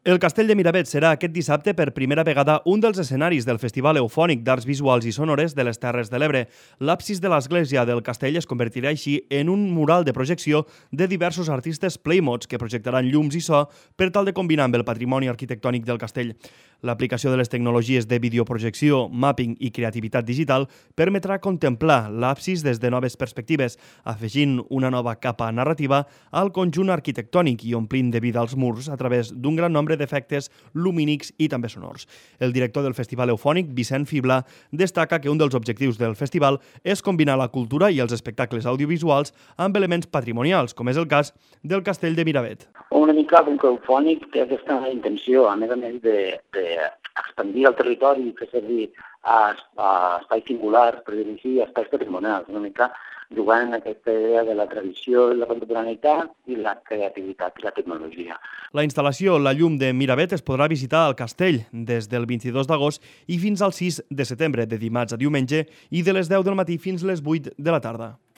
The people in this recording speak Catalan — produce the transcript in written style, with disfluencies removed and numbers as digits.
El Castell de Miravet serà aquest dissabte per primera vegada un dels escenaris del Festival Eufònic d'Arts Visuals i Sonores de les Terres de l'Ebre. L'absis de l'església del castell es convertirà així en un mural de projecció de diversos artistes playmods que projectaran llums i so per tal de combinar amb el patrimoni arquitectònic del castell. L'aplicació de les tecnologies de videoprojecció, mapping i creativitat digital permetrà contemplar l'absis des de noves perspectives, afegint una nova capa narrativa al conjunt arquitectònic i omplint de vida els murs a través d'un gran nombre d'efectes lumínics i també sonors. El director del Festival Eufònic, Vicent Fibla, destaca que un dels objectius del festival és combinar la cultura i els espectacles audiovisuals amb elements patrimonials, com és el cas del Castell de Miravet. Una mica com que Eufònic té aquesta intenció, a més d'expandir el territori i fer servir espais singulars, per dir-ho així, espais patrimonials, una mica jugant en aquesta idea de la tradició i la contemporaneïtat i la creativitat i la tecnologia. La instal·lació La Llum de Miravet es podrà visitar al castell des del 22 d'agost i fins al 6 de setembre, de dimarts a diumenge, i de les 10 del matí fins les 8 de la tarda.